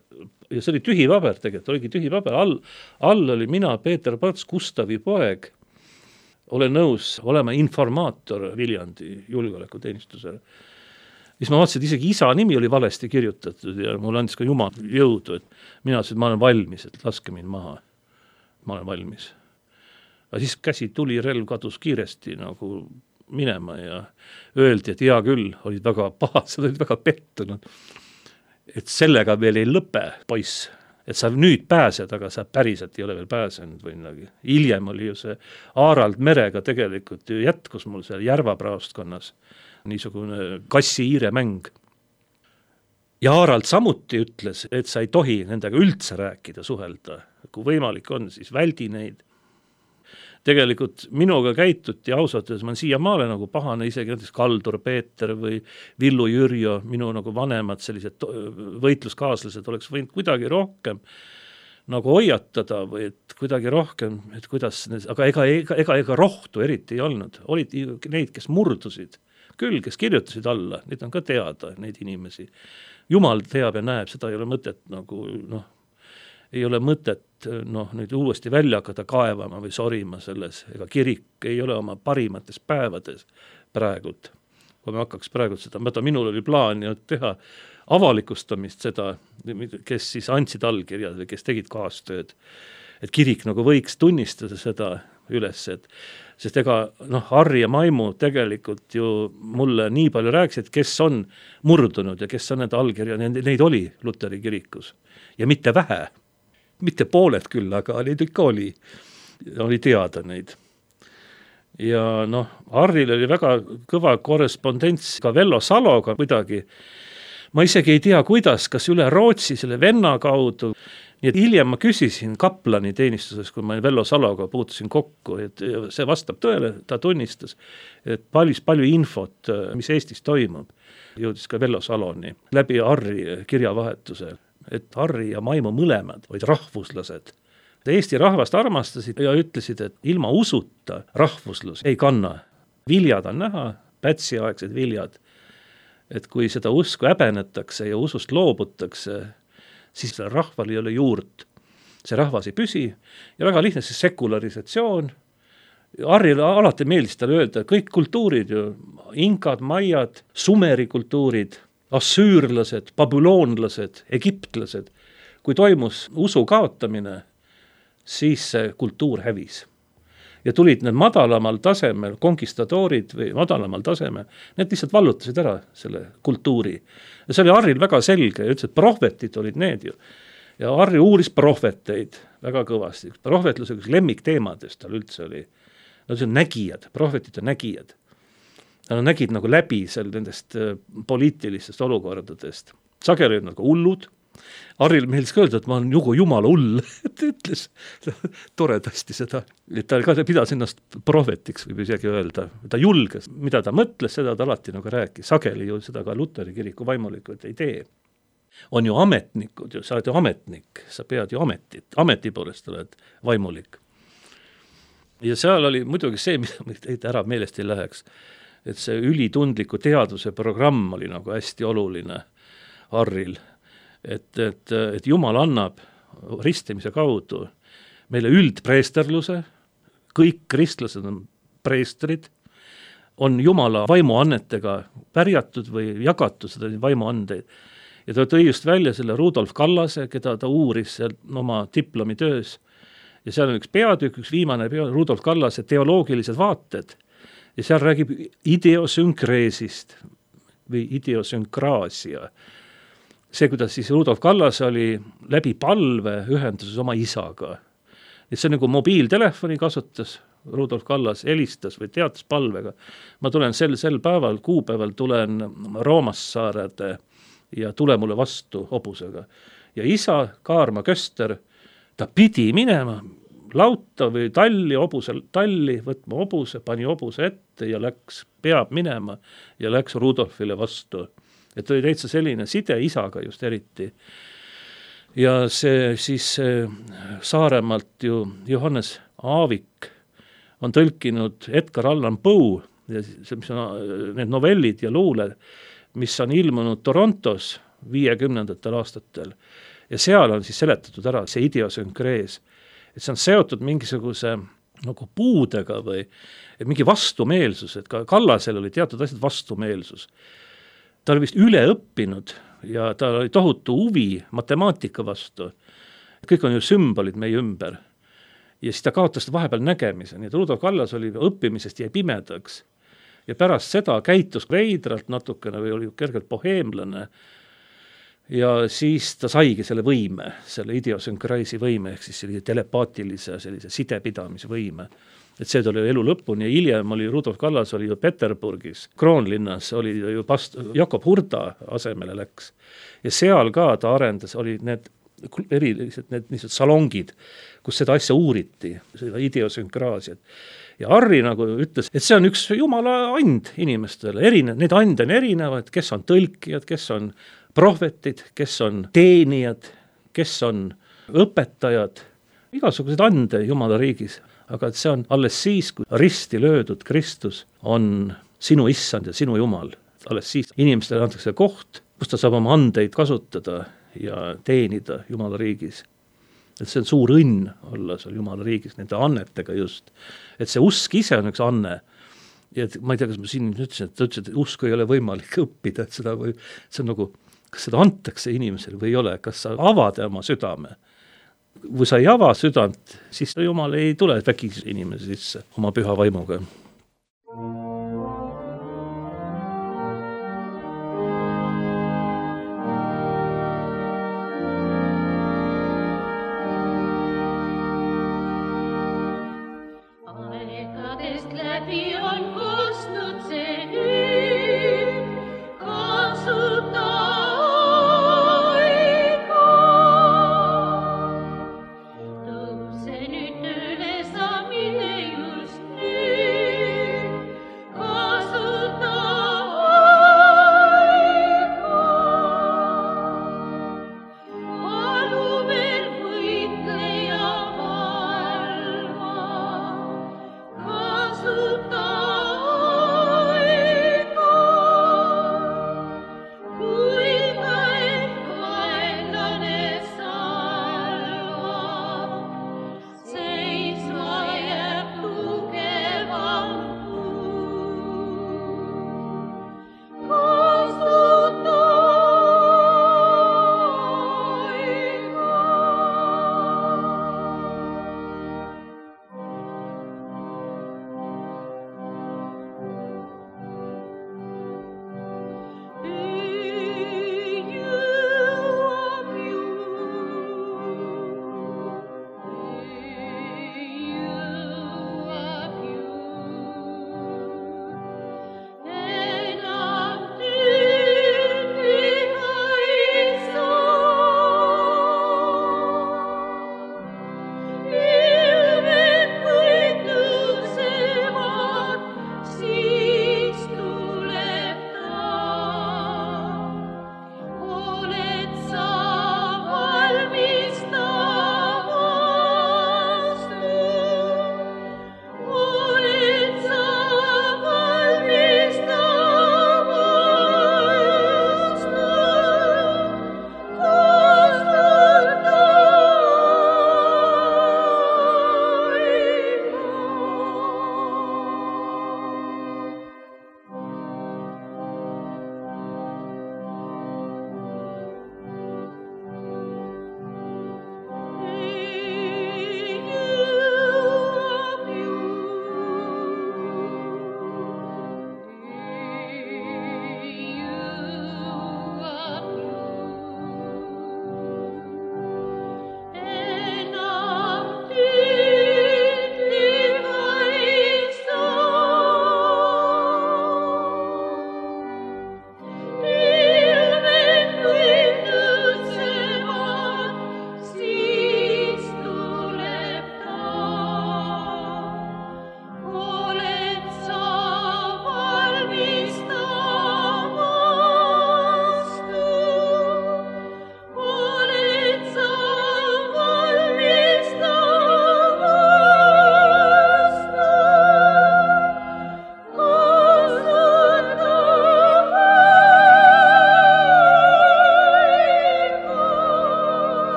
ja see oli tühi paber tegelikult, oligi tühi paber, all, all oli mina, Peeter Pats, Gustavi poeg, olen nõus olema informaator Viljandi julgeolekuteenistusele. Siis ma vaatasin, et isegi isa nimi oli valesti kirjutatud ja mul andis ka Jumal jõudu, et mina ütlesin, et ma olen valmis, et laske mind maha. Ma olen valmis. Aga siis käsi tuli, relv kadus kiiresti nagu minema ja öeldi, et hea küll, olid väga pahased, olid väga pettunud. Et sellega veel ei lõpe, poiss, et sa nüüd pääsed, aga sa päriselt ei ole veel pääsenud või midagi. Hiljem oli ju see Aarald Merega tegelikult ju jätkus mul seal Järva-praostkonnas. Niisugune kassi-iire mäng. Ja Aarald samuti ütles, et sa ei tohi nendega üldse rääkida, suhelda. Kui võimalik on, siis väldi neid. Tegelikult minuga käituti ausalt, et ma olen siiamaale nagu pahane, isegi näiteks Kaldur Peeter või Villu Jürjo, minu nagu vanemad sellised võitluskaaslased oleks võinud kuidagi rohkem nagu hoiatada või et kuidagi rohkem, et kuidas, aga ega, ega, ega, ega rohtu eriti ei olnud. Olid neid, kes murdusid. Küll, kes kirjutasid alla, neid on ka teada, neid inimesi. Jumal teab ja näeb, seda ei ole mõtet nagu, noh, ei ole mõtet, noh, nüüd uuesti välja hakata kaevama või sorima selles, ega kirik ei ole oma parimates päevades praegult. Kui me hakkaks praegult seda, mõta, minul oli plaan teha avalikustamist seda, kes siis andsid allkirjad või kes tegid kaastööd, et kirik nagu võiks tunnistada seda üles, et sest ega noh, Harri ja Maimu tegelikult ju mulle nii palju rääkisid, kes on murdunud ja kes on need allkirja, neid oli Luteri kirikus. Ja mitte vähe, mitte pooled küll, aga neid ikka oli, oli teada neid. Ja noh, Harril oli väga kõva korrespondents ka Vello Saloga kuidagi. Ma isegi ei tea, kuidas, kas üle Rootsi selle venna kaudu. Nii et hiljem ma küsisin kaplani teenistuses, kui ma Vello Saloga puutusin kokku, et see vastab tõele, ta tunnistas, et palju, palju infot, mis Eestis toimub, jõudis ka Vello Saloni läbi Harri kirjavahetuse, et Harri ja Maimu mõlemad olid rahvuslased. Eesti rahvast armastasid ja ütlesid, et ilma usuta rahvuslus ei kanna. Viljad on näha, pätsiaegsed viljad, et kui seda usku häbenetakse ja usust loobutakse, siis selle rahval ei ole juurt. See rahvas ei püsi ja väga lihtne see sekularisatsioon. Harrile alati meeldis talle öelda, kõik kultuurid ju, inkad, maiad, sumeri kultuurid, assüürlased, babüloonlased, egiptlased, kui toimus usu kaotamine, siis see kultuur hävis. Ja tulid need madalamal tasemel, konkistadoorid või madalamal tasemel, need lihtsalt vallutasid ära selle kultuuri. Ja see oli Harril väga selge ja ütles, et prohvetid olid need ju. Ja Harri uuris prohveteid väga kõvasti. Prohvetluse üks lemmikteemadest tal üldse oli. Nad on nägijad, prohvetid on nägijad. Nad nägid nagu läbi seal nendest poliitilistest olukordadest. Sageli olid nagu hullud. Harril meeldis ka öelda, et ma olen jugu jumala hull, et ütles toredasti seda, et ta ka pidas ennast prohvetiks, võib isegi öelda, ta julges, mida ta mõtles, seda ta alati nagu rääkis, sageli ju seda ka Luteri kiriku vaimulikud ei tee. On ju ametnikud, sa oled ju ametnik, sa pead ju ametit, ameti poolest oled vaimulik. Ja seal oli muidugi see, mida ära meelest ei läheks, et see ülitundliku teaduse programm oli nagu hästi oluline Harril. Et, et, et Jumal annab ristimise kaudu meile üldpreesterluse, kõik kristlased on preestrid, on Jumala vaimuannetega pärjatud või jagatud seda vaimuandeid. Ja ta tõi just välja selle Rudolf Kallase, keda ta uuris oma diplomitöös. Ja seal on üks peatükk, üks viimane peatükk, Rudolf Kallase teoloogilised vaated. Ja seal räägib ideosünkreesist või ideosünkraasia. See, kuidas siis Rudolf Kallas oli läbi palve ühenduses oma isaga. Et see nagu mobiiltelefoni kasutas, Rudolf Kallas helistas või teatas palvega. Ma tulen sel, sel päeval, kuupäeval tulen Roomassaarede ja tule mulle vastu hobusega. Ja isa, Kaarma Köster, ta pidi minema, lauta või talli, hobuse talli, võtma hobuse, pani hobuse ette ja läks, peab minema ja läks Rudolfile vastu. Et oli täitsa selline side isaga just eriti. Ja see siis Saaremaalt ju Johannes Aavik on tõlkinud Edgar Allan Poe, ja see, mis on need novellid ja luule, mis on ilmunud Torontos viiekümnendatel aastatel. Ja seal on siis seletatud ära see idiosünkrees, et see on seotud mingisuguse nagu puudega või mingi vastumeelsus, et ka Kallasel oli teatud asjad vastumeelsus. Ta oli vist üle õppinud ja ta oli tohutu huvi matemaatika vastu. Kõik on ju sümbolid meie ümber. Ja siis ta kaotas vahepeal nägemise, nii et Rudolf Kallas oli õppimisest jäi pimedaks. Ja pärast seda käitus veidralt natukene või oli kergelt boheemlane. Ja siis ta saigi selle võime, selle idiosünkreisi võime, ehk siis sellise telepaatilise sellise sidepidamise võime. Et see tuli elu lõpuni ja hiljem oli Rudolf Kallas oli ju Peterburgis, Kroonlinnas oli ju past, Jakob Hurda asemele läks. Ja seal ka ta arendas, oli need erilised need niisugused salongid, kus seda asja uuriti, seda idiosünkraasiat. Ja Harri nagu ütles, et see on üks jumala and inimestele, erinev, need ande on erinevad, kes on tõlkijad, kes on prohvetid, kes on teenijad, kes on õpetajad, igasugused ande jumala riigis. Aga see on alles siis, kui risti löödud Kristus on sinu issand ja sinu jumal. Alles siis inimestele antakse koht, kus ta saab oma andeid kasutada ja teenida jumala riigis. Et see on suur õnn olla seal jumala riigis, nende annetega just. Et see usk ise on üks anne. Ja ma ei tea, kas ma siin ütlesin, et ta ütles, et usku ei ole võimalik õppida, et seda või, see on nagu, kas seda antakse inimesele või ei ole, kas sa avad oma südame. Kui sa ei ava südant, siis jumal ei tule vägisi inimese sisse oma püha vaimuga. Aegadest läbi on kostnud see hüüd, kasuta Tõuse nüüd üle sa mine just nüüd.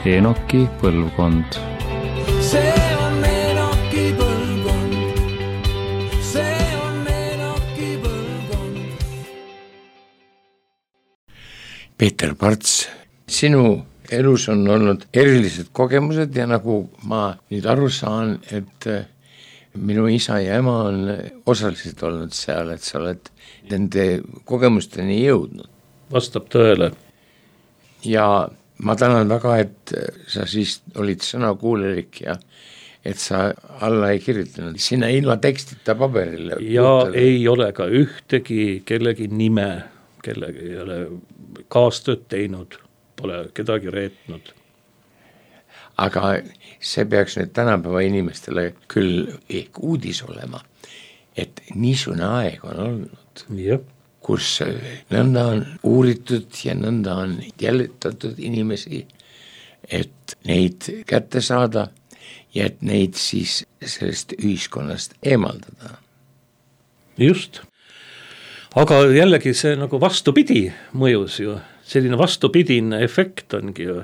Enoki põlvkond. see on Enoki põlvkond, see on Enoki põlvkond. Peeter Parts, sinu elus on olnud erilised kogemused ja nagu ma nüüd aru saan, et minu isa ja ema on osaliselt olnud seal, et sa oled nende kogemusteni jõudnud. Vastab tõele. Ja ma tänan väga, et sa siis olid sõnakuulelik ja et sa alla ei kirjutanud sinna ilma tekstita paberile. Ja puhtele. Ei ole ka ühtegi kellegi nime, kellegi ei ole kaastööd teinud, pole kedagi reetnud. Aga see peaks nüüd tänapäeva inimestele küll ehk uudis olema, et niisugune aeg on olnud, ja. Kus nõnda on uuritud ja nõnda on jälitatud inimesi, et neid kätte saada ja et neid siis sellest ühiskonnast eemaldada. Just. Aga jällegi see nagu vastupidi mõjus ju, selline vastupidine efekt ongi ju,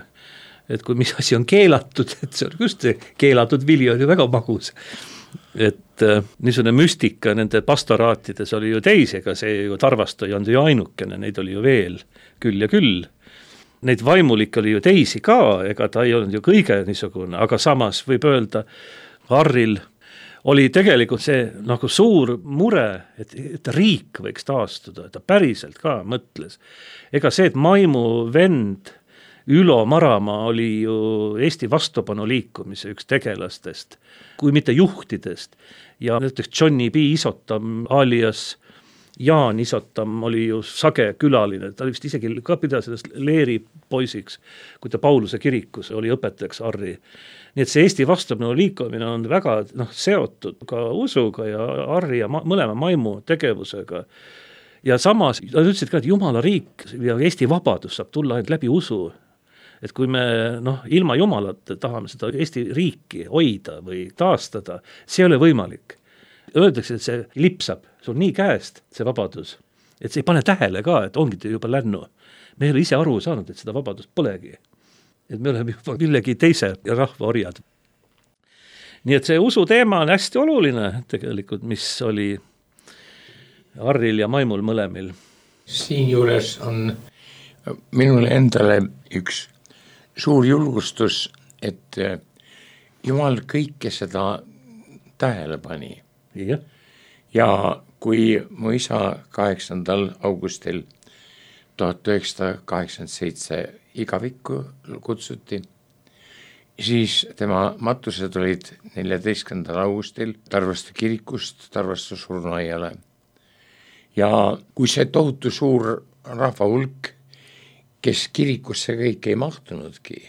et kui mis asi on keelatud, et see on just see keelatud vili on ju väga magus. Et äh, niisugune müstika nende pastoraatides oli ju teisi, ega see ju Tarvasto ei olnud ju ainukene, neid oli ju veel küll ja küll. Neid vaimulik oli ju teisi ka, ega ta ei olnud ju kõige niisugune, aga samas võib öelda, Harril oli tegelikult see nagu suur mure, et, et riik võiks taastuda, ta päriselt ka mõtles. Ega see, et Maimu vend Ülo Maramaa oli ju Eesti vastupanu liikumise üks tegelastest, kui mitte juhtidest. Ja näiteks Johnny B. Isotam alias Jaan Isotam oli ju sage külaline, ta vist isegi ka pidas sellest Leeri poisiks, kui ta Pauluse kirikus oli õpetajaks Harri. Nii et see Eesti vastupanu liikumine on väga noh, seotud ka usuga ja Harri ja ma, mõlema Maimu tegevusega. Ja samas, nad ütlesid ka, et Jumala riik ja Eesti vabadus saab tulla ainult läbi usu. Et kui me noh, ilma Jumalat tahame seda Eesti riiki hoida või taastada, see ei ole võimalik. Öeldakse, et see lipsab, see on nii käest, see vabadus, et see ei pane tähele ka, et ongi juba lännu. Me ei ole ise aru saanud, et seda vabadust polegi. Et me oleme juba millegi teise rahva orjad. Nii et see usu teema on hästi oluline tegelikult, mis oli Harril ja Maimul mõlemil. Siin juures on minule endale üks suur julgustus, et Jumal kõike seda tähele pani. Ja. ja kui mu isa kaheksandal augustil tuhat üheksasada kaheksakümmend seitse igavikku kutsuti, siis tema matused olid neljateistkümnendal augustil Tarvastu kirikust Tarvastu surnuaiale. Ja kui see tohutu suur rahva hulk, kes kirikusse kõik ei mahtunudki,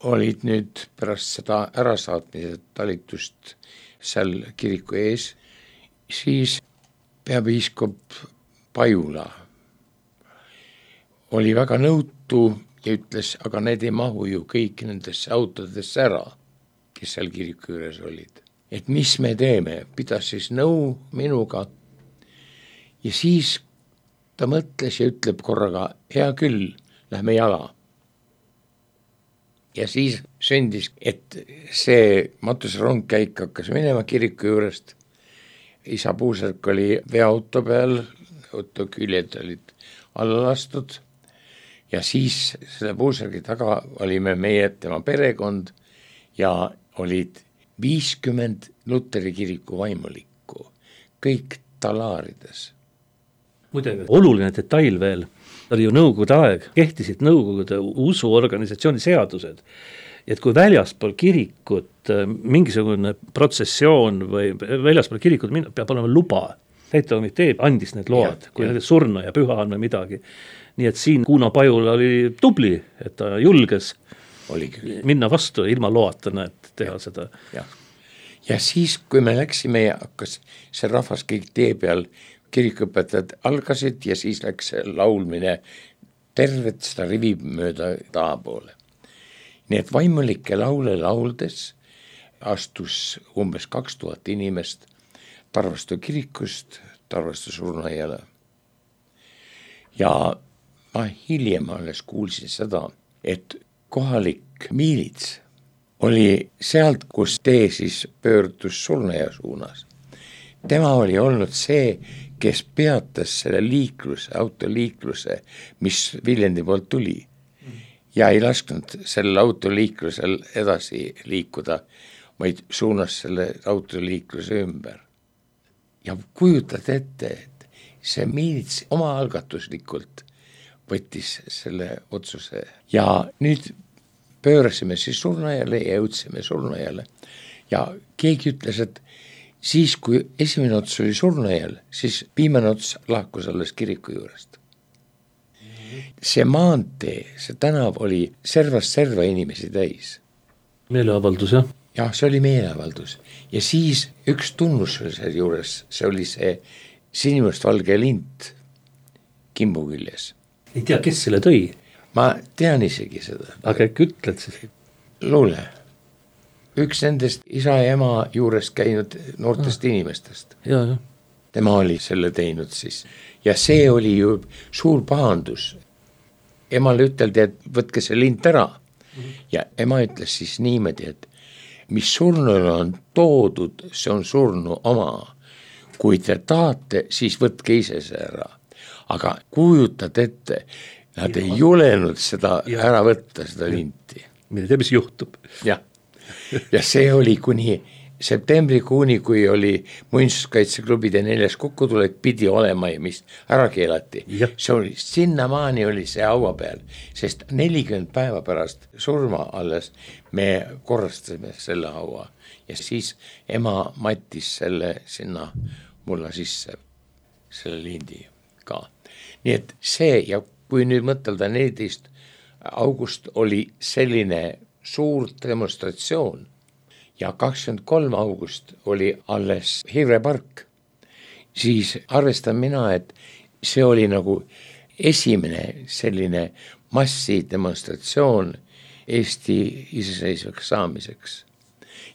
olid nüüd pärast seda ärasaatmise talitust seal kiriku ees, siis peapiiskop Pajula oli väga nõutu ja ütles, aga need ei mahu ju kõik nendesse autodesse ära, kes seal kiriku juures olid. Et mis me teeme, pidas siis nõu minuga ja siis ta mõtles ja ütleb korraga, hea küll, lähme jala. Ja siis sündis, et see matusrong käik hakkas minema kiriku juurest. Isa Puusärk oli veoauto peal, auto küljed olid alla lastud ja siis selle Puusärgi taga olime meie tema perekond ja olid viiskümmend Luteri kiriku vaimulikku, kõik talaarides. Muidugi, oluline detail veel, oli ju nõukogude aeg, kehtisid nõukogude usuorganisatsiooni seadused, et kui väljaspool kirikut mingisugune protsessioon või väljaspool kirikut peab olema luba, täitevkomitee andis need load, ja, kui ja. Surnu ja püha on või midagi. Nii et siin Kuno Pajula oli tubli, et ta julges Oligi. minna vastu ilma loata, et teha ja. seda. Ja. ja siis, kui me läksime ja hakkas see rahvas kõik tee peal, kirikuõpetajad algasid ja siis läks laulmine tervet seda rivi mööda taha poole. Nii et vaimulike laule lauldes astus umbes kaks tuhat inimest Tarvastu kirikust Tarvastu surnuaiale. Ja ma hiljem alles kuulsin seda, et kohalik miilits oli sealt, kus tee siis pöördus Surnuaia suunas. Tema oli olnud see, kes peatas selle liikluse, autoliikluse, mis Viljandi poolt tuli ja ei lasknud sellel autoliiklusel edasi liikuda, vaid suunas selle autoliikluse ümber. Ja kujutad ette, et see miilits oma algatuslikult võttis selle otsuse ja nüüd pöörasime siis Surnuaiale ja jõudsime Surnuaiale ja keegi ütles, et siis kui esimene ots oli Surnuaial, siis viimane ots lahkus alles kiriku juurest. See maantee, see tänav oli servast serva inimesi täis. Meeleavaldus, jah? Jah, see oli meeleavaldus ja siis üks tunnus oli selle juures, see oli see sinimustvalge lint kimbu küljes. Ei tea, kes selle tõi? Ma tean isegi seda. Aga äkki ütled siis? Luule. Üks nendest isa ja ema juures käinud noortest ah. inimestest. Ja, ja. Tema oli selle teinud siis. Ja see oli ju suur pahandus. Emale üteldi, et võtke see lint ära. Mm-hmm. Ja ema ütles siis niimoodi, et mis surnule on toodud, see on surnu oma. Kui te tahate, siis võtke ise see ära. Aga kujutad ette, nad ei julenud seda ja. Ära võtta, seda linti. Mille tea, mis juhtub. Jah. Ja see oli kuni septembrikuuni, kui oli muinsuskaitseklubide neljas kokkutulek, pidi olema ja mis ära keelati. Ja. See oli, sinnamaani oli see haua peal, sest nelikümmend päeva pärast surma alles me korrastasime selle haua ja siis ema mattis selle sinna mulla sisse, selle lindi ka. Nii et see ja kui nüüd mõtelda neliteist august oli selline suur demonstratsioon ja kakskümmend kolm august oli alles Hirvepark, siis arvestan mina, et see oli nagu esimene selline massidemonstratsioon Eesti iseseisvaks saamiseks.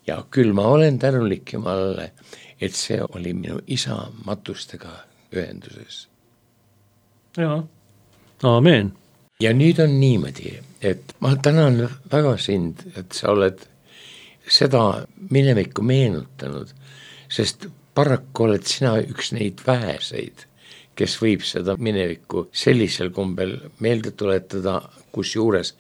Ja küll ma olen tänulik Jumalale, et see oli minu isa matustega ühenduses. Jaa, aamen. Ja nüüd on niimoodi, et ma tänan väga sind, et sa oled seda minevikku meenutanud, sest paraku oled sina üks neid väheseid, kes võib seda minevikku sellisel kombel meelde tuletada, kus juures,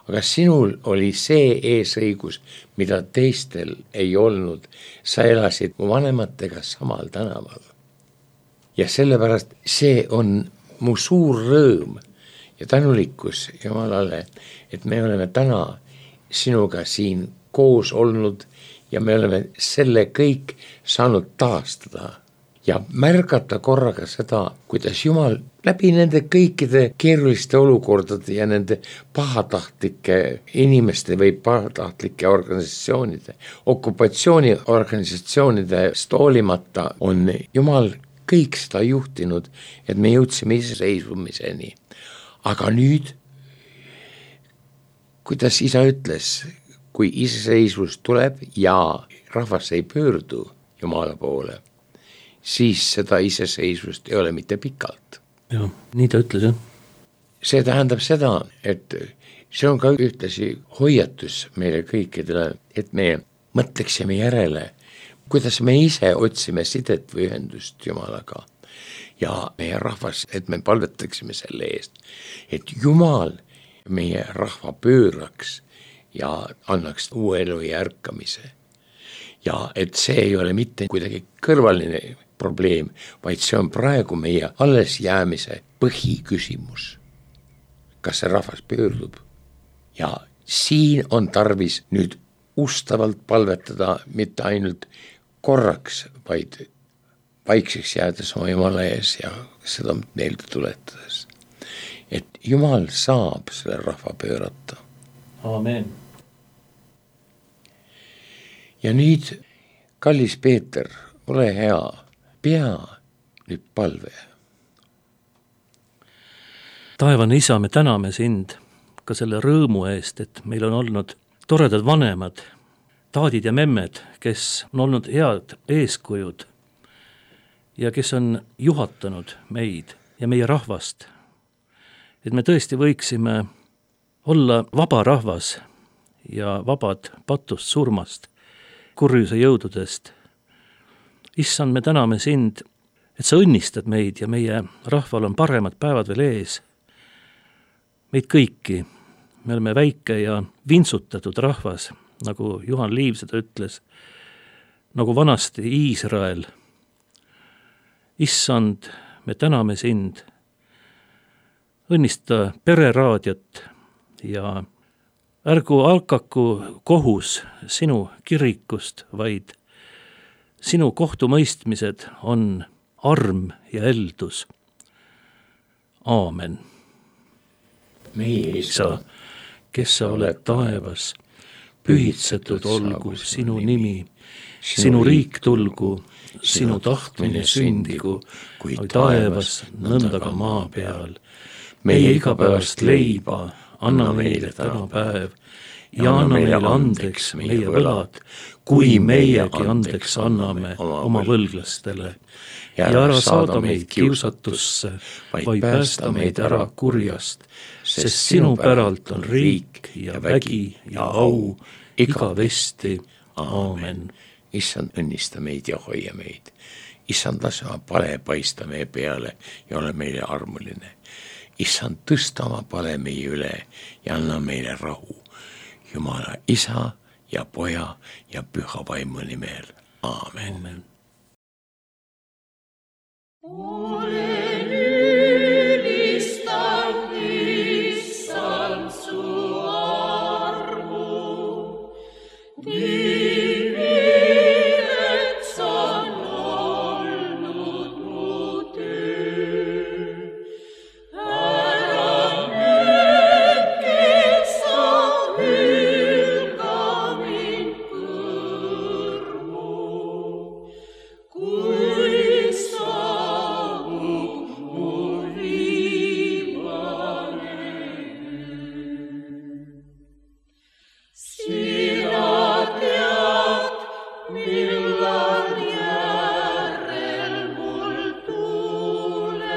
aga sinul oli see eesõigus, mida teistel ei olnud. Sa elasid mu vanematega samal tänaval. Ja sellepärast see on mu suur rõõm ja tänulikkus Jumalale, et me oleme täna sinuga siin koos olnud ja me oleme selle kõik saanud taastada ja märgata korraga seda, kuidas Jumal läbi nende kõikide keeruliste olukordade ja nende pahatahtlike inimeste või pahatahtlike organisatsioonide, okupatsiooniorganisatsioonide hoolimata on Jumal kõik seda juhtinud, et me jõudsime iseseisvumiseni. Aga nüüd, kuidas isa ütles, kui iseseisvus tuleb ja rahvas ei pöördu Jumala poole, siis seda iseseisvust ei ole mitte pikalt. Jah, nii ta ütles, jah. See tähendab seda, et see on ka ühtlasi hoiatus meile kõikidele, et me mõtleksime järele, kuidas me ise otsime sidet või ühendust Jumalaga ja meie rahvas, et me palvetaksime selle eest, et Jumal meie rahva pööraks ja annaks uue elu ja ärkamise. Ja et see ei ole mitte kuidagi kõrvaline probleem, vaid see on praegu meie alles jäämise põhiküsimus. Kas see rahvas pöördub? Ja siin on tarvis nüüd ustavalt palvetada mitte ainult korraks, vaid vaikseks jäädes oma Jumala ees ja seda meelde tuletades. Et Jumal saab selle rahva pöörata. Aamen. Ja nüüd, kallis Peeter, ole hea, pea nüüd palve. Taevane isa, me täname sind ka selle rõõmu eest, et meil on olnud toredad vanemad, taadid ja memmed, kes on olnud head eeskujud ja kes on juhatanud meid ja meie rahvast. Et me tõesti võiksime olla vaba rahvas ja vabad patust surmast, kurjuse jõududest. Issand, me täname sind, et sa õnnistad meid ja meie rahval on paremad päevad veel ees. Meid kõiki, me oleme väike ja vintsutatud rahvas, nagu Juhan Liiv seda ütles, nagu vanasti Iisrael. Issand, me täname sind, õnnista pereraadiot ja ärgu alkaku kohus sinu kirikust, vaid sinu kohtumõistmised on arm ja eldus. Aamen. meie Isa, kes sa oled taevas, pühitsetud olgu sinu nimi, sinu riik tulgu, sinu tahtmine sündigu, kui taevas, nõnda ka maa peal. Meie igapäevast leiba anna meile täna päev ja anna meile andeks meie võlad, kui meiegi andeks anname oma võlglastele. Ja ära saada meid kiusatusse, vaid päästa meid ära kurjast, sest sinu päralt on riik ja vägi ja au igavesti. Aamen. Issand, õnnista meid ja hoia meid. Issand, lase oma pale paista meie peale ja ole meile armuline. Issand, tõsta oma pale meie üle ja anna meile rahu. Jumala Isa ja Poja ja Püha Vaimu nimel. Aamen. Aamen. Olen ülistanud Issand su armu, nimi, et sa on olnud mu töö. Ära nüüd, kes sa hülga mind kõrmu, kui saabub mu viimane öö. Sina tead, millal järel mul tuled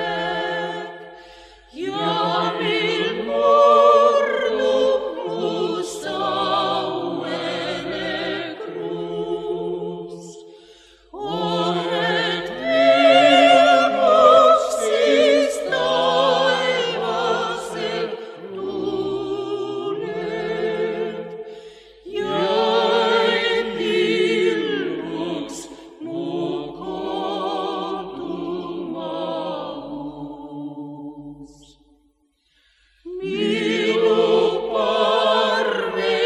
ja mil murdub mu sauene kruus. Oh, et ilmus siis taevaselt tuuled ja et ilmuks mu kodumaa uus. Minu parveves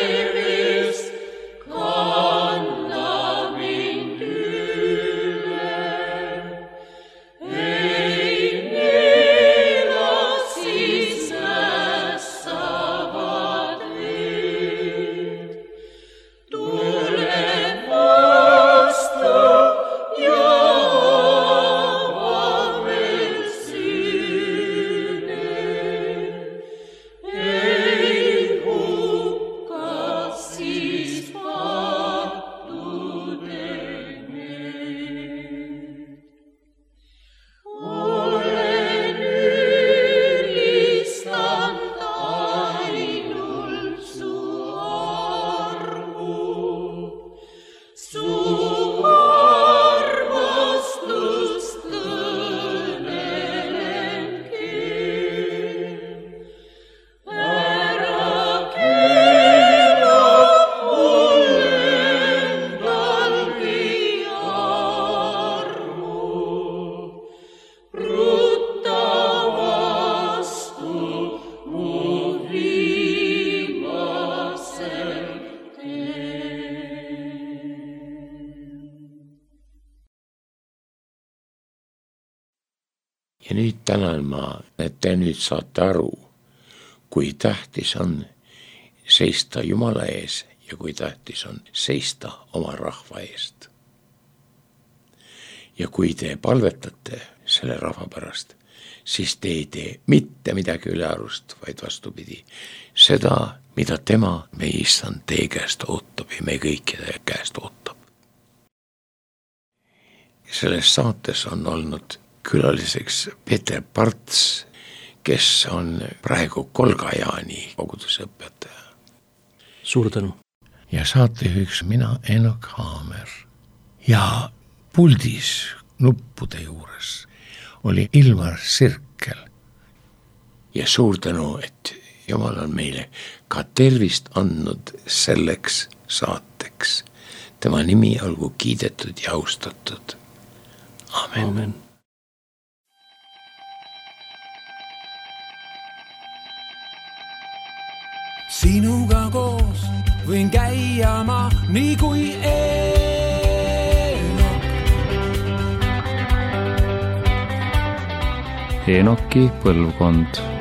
kanna mind üle, ei neela siis ässavad veed. Tule vastu ja ava veel süüne, ei hukka siis pattude need. Olen ülistanud ainult su armu, su armastust kõnelen keel. Ära keela mul endalgi armu, rutta vastu mu viimasel teel. Ja nüüd tänan ma, et te nüüd saate aru, kui tähtis on seista Jumala ees ja kui tähtis on seista oma rahva eest. Ja kui te palvetate selle rahva pärast, siis te ei tee mitte midagi ülearust, vaid vastupidi. Seda, mida tema, meie Issand, teie käest ootab ja meie kõikide käest ootab. Selles saates on olnud külaliseks Peeter Parts, kes on praegu Kolga-Jaani koguduse õpetaja. Suur tänu. Ja saatejuhiks mina, Enok Haamer. Ja puldis nuppude juures oli Ilmar Sirkel. Ja suur tänu, et Jumal on meile ka tervist andnud selleks saateks. Tema nimi olgu kiidetud ja austatud. Amen. Amen. Sinuga koos võin käia ma nii kui Eenok. Enoki põlvkond.